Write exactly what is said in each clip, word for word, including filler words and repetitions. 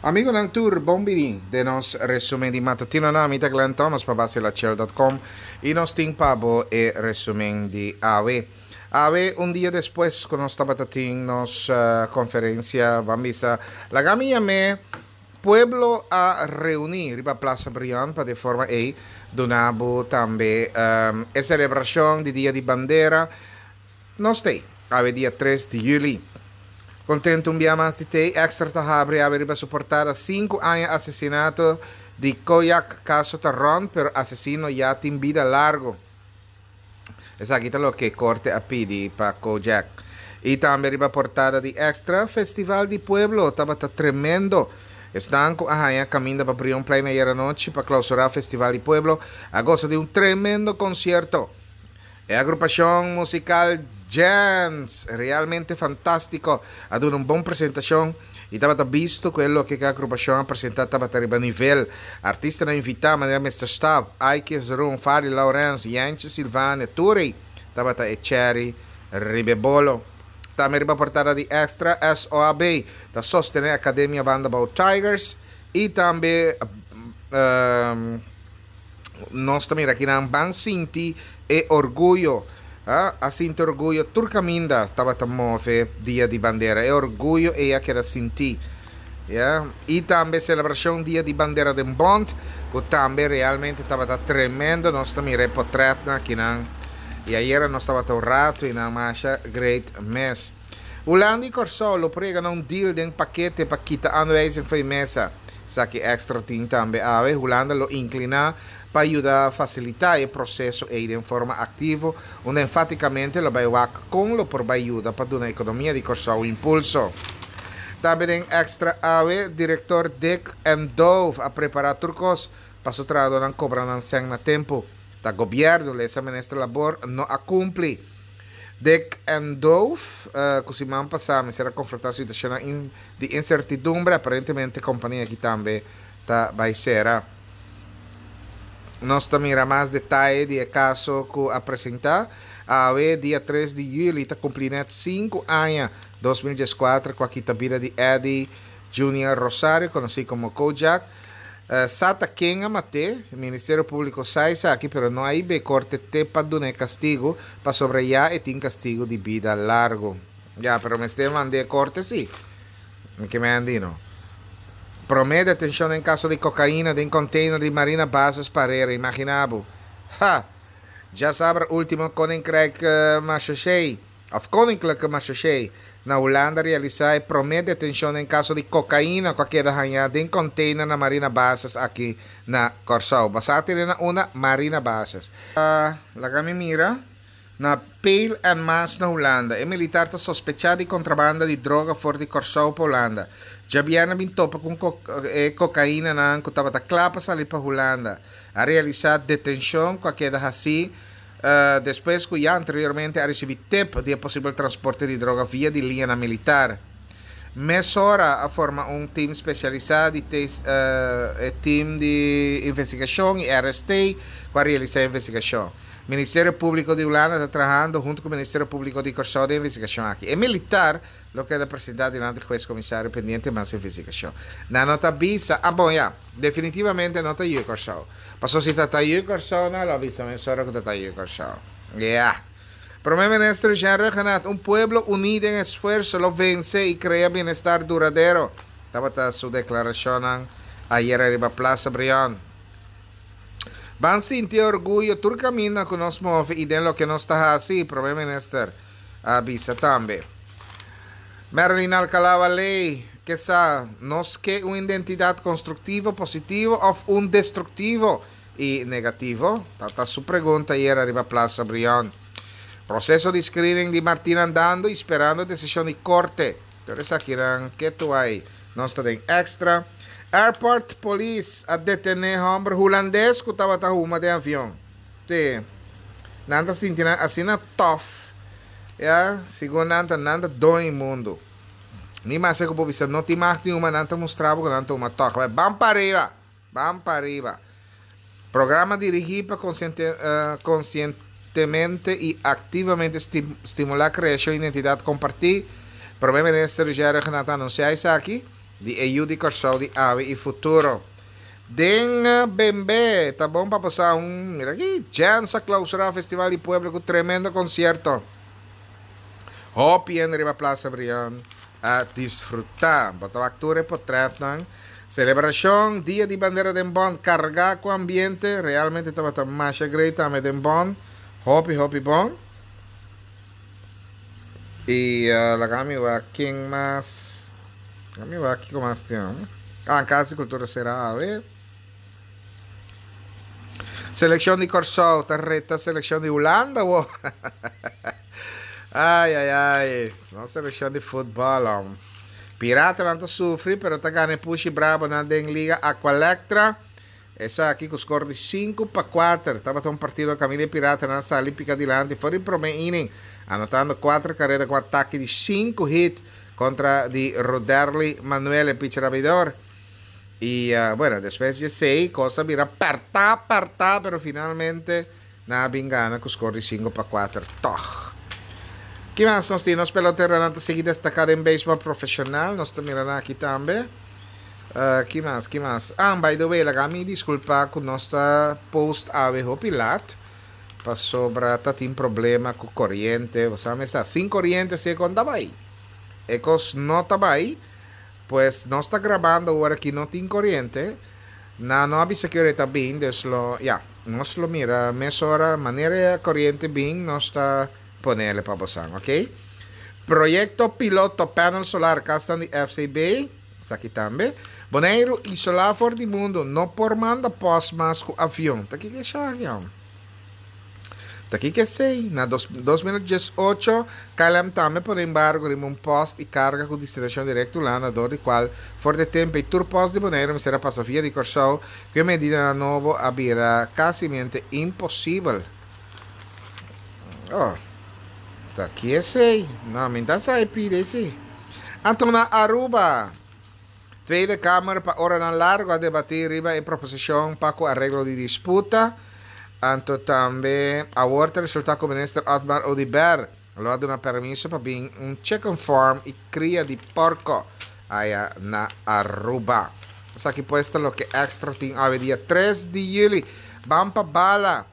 Amigonan tur, bon bini den nos resumen di matutino. Na mi ta Glenn Thomas pa Basilachel punto com y nos tin pa bo e resumen di awe. Awe, un dia despues cu nos tabata tin nos uh, conferencia, ban bisa, laga mi yam'e pueblo a reuni riba Plaza Brion pa di forma ei duna bo tambe um, e celebracion di Dia di Bandera. Nos t'ey awe, dia tres di juli. Contento un dia mas di t'ey. Extra ta habri awe riba su portada: cinco aña asesinato di Koyak, caso ta rond, pero asesino ya tin bida largo. Esaki ta loke corte a pidi pa Kojak. Y tambe riba portada di Extra, Festival di Pueblo tabata tremendo. Esnan cu a haya caminda pa Brionplein ayera nochi pa clausura Festival di Pueblo a goza di un tremendo concierto. E agrupacion musical Jans, realmente fantastico, a duna un bon presentacion y tabata bisto cu loke e agrupacion a presenta tabata riba nivel. Artistanan invita, manera Mister Stab, Ike Zeroen, Fari Lawrence, Yanche Silvane, Turi, tabata e cherry riba bolo. Tambe riba portada di Extra, S O A B ta sostene Academia Banda Bou Tigers y tambe um, nos tambe aki na Ban Sinti e Orguyo. Ah, a sinti orguyo tur caminda tabata move Dia di Bandera. E orguyo ey a keda sinti. Yeah? Y tambe celebracion Dia di Bandera den Bond, cu tambe realmente tabata tremendo. Nos tambe portret aki nan. Y ayera nos tabata un rato y na masha great mes. Hulanda y Corsou lo por yega na un deal den pakete pa kita aanwijzing for di mesa. Esaki Extra tin tambe awe. Hulanda lo inclina pa yuda facilita e proceso ey di forma activo, unda enfaticamente lo bay wak con lo por bay yuda pa duna economia di Corsou impulso. Tambe den Extra awe, director Dik en Dove a prepara tur cos pa su trahadornan cobra nan cen na tempo. Ta gobierno, lesa minister Labor, no a cumpli. Dik en Dove, uh, cu siman pasa, a confronta situacion in, di incertidumbre, aparentemente e compania aki tambe ta bay cera. Nos ta mira mas detaye di e caso cu a presenta. Awe, dia tres di juli, ta cumpliendo cinco aña, dos mil diescuater, cu a kita bida di Eddie Junior Rosario, conoci como Kojak. Uh, Sa ta ken a mat'e, Ministerio Publico sa aki, pero no a bay corte te pa duna castigo, pasobra ya e tin castigo di bida largo. Ya, pero mester mand'e corte si. Cu mi andino. Prome detencion den caso di cocaina den container di Marina Bases Parera, imagina bo. Ha! Diasabra ultimo Koninkrijk uh, Marechaussee, of Koninklijke Marechaussee, na Hulanda a realisa e prome detencion den caso di cocaina cu a keda haya den container na Marina Bases aki na Corsou. Basate na una Marina Bases. Uh, laga mi mira na Peel en Maas na Hulanda. E militar ta sospecha di contrabanda di droga for di Corsou pa Hulanda. Diabierna a bin topa cu co eh, cocaina nan cu tabata cla pa sali pa Hulanda. A realisa detencion cu a keda asina uh, despues cu ya anteriormente a ricibi tip di posibel transporte di droga via di liña militar. Mesora a forma un team specialisa di uh, team di investigacion y R S T pa realisa e investigacion. Ministerio Publico di Hulanda ta trahando hunto cu e Ministerio Publico di Corsou den e investigacion aki. E militar lo keda presenta dilanti di hues comisario, pendiente mas investigacion. Nan no ta bisa, ah bon ya, definitivamente no ta yu Corsou. Paso si ta yu Corsou, nan lo bisa mesora cu ta yu Corsou. Yeah. Prome Minister Jean Rhuggenaath, "Un pueblo uni den esfuerso lo vence y crea bienestar duradero." Tabata su declaracion ayera riba Plaza Brion. Ban sinti orguyo tur caminda cu nos move y den loke nos ta haci, Prome Minister a bisa tambe. Marilyn Alcalá-Wallé, cu sa, nos kier un identidad constructivo, positivo of un destructivo y negativo? Ta su pregunta ayera riba Plaza Brion. Proceso di screening di Martina andando y sperando decision di corte. Anto, aki nan keto ey. Nos ta den Extra. Airport Police a detene homber hulandes cu tabata huma den avion. Te. Nan ta sinti asina tough. Ja, segun nan ta nan ta doño mundo. Ni mas cu bo no tin mas ningun, nan ta mustra cu nan ta huma toch. Ban pa ariba. Ban pa ariba. Programa dirigi pa consciente, uh, conscientemente y activamente stimula creacion di identidad comparti. Prome Minister Gerard a anuncia esaki. Di e yu di Kòrsou di awe i futuro. Den Bembe, ta bon pa pasa un, mira aki, Jens a klausurá Festival di Pueblo ku tremendo konsierto. Hopi hende riba Plaza Brion a disfrutá. Bo ta wak tur e potrètnan. Selebrashon Dia di Bandera den Bòn kargá ku ambiente. Realmente tabata masha great tambe den Bòn. Hopi hopi bon. I laga mi wak ken mas. Laga mi wak kiko mas tin. Ah, Kas di Kultura sera awe. Selekshon di Kòrsou ta reta selekshon di Hulanda wo. Ai ai ai, nos selekshon di futbòl om. Piratanan ta sufri pero ta gana e pushi brabonan den Liga Aqualectra. Esaki ku skor di sinku pa kuater. Tabata un partido kaminda e Piratanan sali pika dilanti for di promé inning, anotando kuater kareda ku atake di sinku hit kontra di Roderly Manuel, e picher abridor. I bueno, despues di esei kos a bira pèrtá pèrtá, pero finalmente nan a bin gana ku skor di sinku pa kuater tòg. Ki mas nos tin? Nos peloteronan ta sigui destaká den beisbòl profeshonal. Nos ta mira nan aki tambe. Ki mas, ki mas? Ah, by the way, laga mi disculpa cu nos ta post awe hopi laat, pasobra ta tin problema cu coriente. Bo sa mester, sin coriente si e con ta bay. E cos no ta bay, pues nos ta grabando ora ki no tin coriente. Nan no a bisa ki ora e ta bin, dus lo, ya, nos lo mira mesora, manera e coriente bin, nos ta ponele pa bosan, ok? Proyecto piloto panel solar casnan di F C B. Esaki tambe. Boneiru isolá for di mundu, no por manda pòst mas ku avion. Ta kiko esaki hòm? Ta kiko esei? Na dos dos mil dies ocho, K L M tambe pone embargo riba un pòst i karga ku destinashon direkto Hulanda dor di kual for di e tempu ei tur pòst di Boneiru mester a pasa via di Kòrsou ku e medidanan nobo a bira kasimente imposibel. Oh, ta ki esei? No, mi ta sa e pidi esei. Anto na Aruba, Tweede Kamer pa oranan largo a debati riba e proposicion pa cu areglo di disputa. Anto tambe awor ta resulta cu Minister Otmar Oduber lo a duna permiso pa bin un chicken farm y cria di porco aya na Aruba. Esaki pues ta loke Extra tin awe dia tres di juli. Ban pa Bala.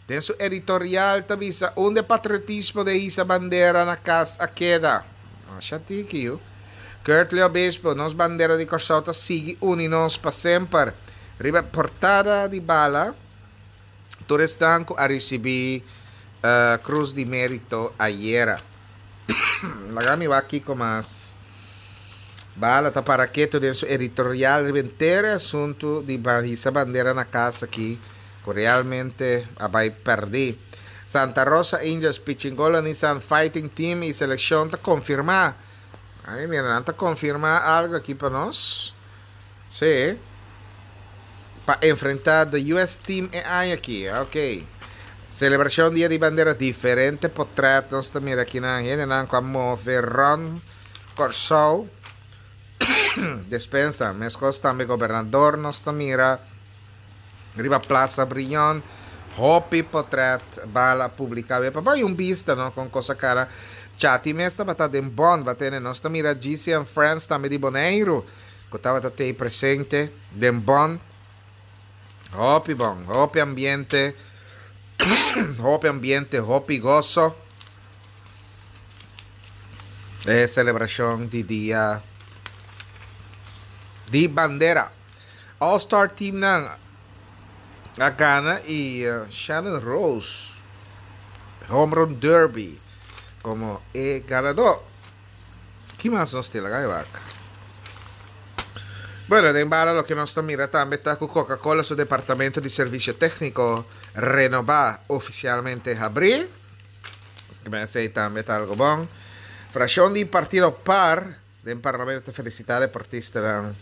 Den su editorial ta bisa unda e patriotismo de hisa bandera na cas a keda. Masha tiki yu. Curtley Obispo, nos bandera di Kòrsou ta sigui uni nos pa semper. Riba portada di Bala, tur esnan ku a risibí Krus di Mérito ayera. Laga mi wak kiko mas. Bala ta para ketu den su editorial riba henter e asuntu di hisa bandera na kas aki ku realmente a bai pèrdí. Santa Rosa Angels, Pichingolo Nissan Fighting Team i selekshon ta konfirmá. Ay, mira, nan ta konfirmá algu aki pa nos. Sí. Pa enfrentá the U S Team e aña aki. Ok. Selebrashon Dia di Bandera, diferente potrèt nos ta mira aki nan. Hendenan ku a move rònt Kòrsou. Despensa, meskos tambe gobernador nos ta mira riba Plaza Brion. Hopi potrèt Bala publiká. Pa bai un bista, no, kon kos a kara. Chati mes tabata den Bond, batene nos ta mira G C and Friends tambe di Boneiru, ku tabata te presente den Bond. Hopi bon, hopi ambiente, hopi ambiente, hopi goso. E selebrashon di Dia di Bandera. All Star Team nan a gana i uh, Shannon Rose Home Run Derby komo e ganadó. Ki mas nos tin? Laga wak. Bueno, den Bala loke nos ta mira tambe ta ku Coca-Cola su departamento di servisio tékniko renobá ofisialmente habrí. Esei tambe ta algu bon. Frakshon di Partido PAR den Parlamento ta felisitá deportistanan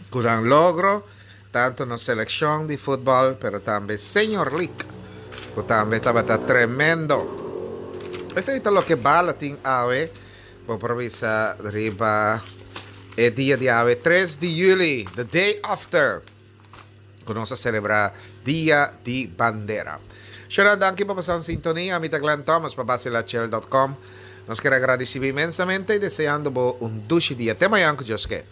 ku nan logro, tantu na selekshon di futbòl, pero tambe Senior League, ku tambe tabata tremendo. Esei ta loke Bala tin awe, bo por bisa riba e dia di awe, tres di yüli, the day after, ku nos a selebrá Dia di Bandera. Shona, danki pa pasa sintonia. Mi ta Glenn Thomas pa basilachel punto com. Nos ke gradisí inmensamente i deseando bo un dushi dia. Te mañan ku Dios ke.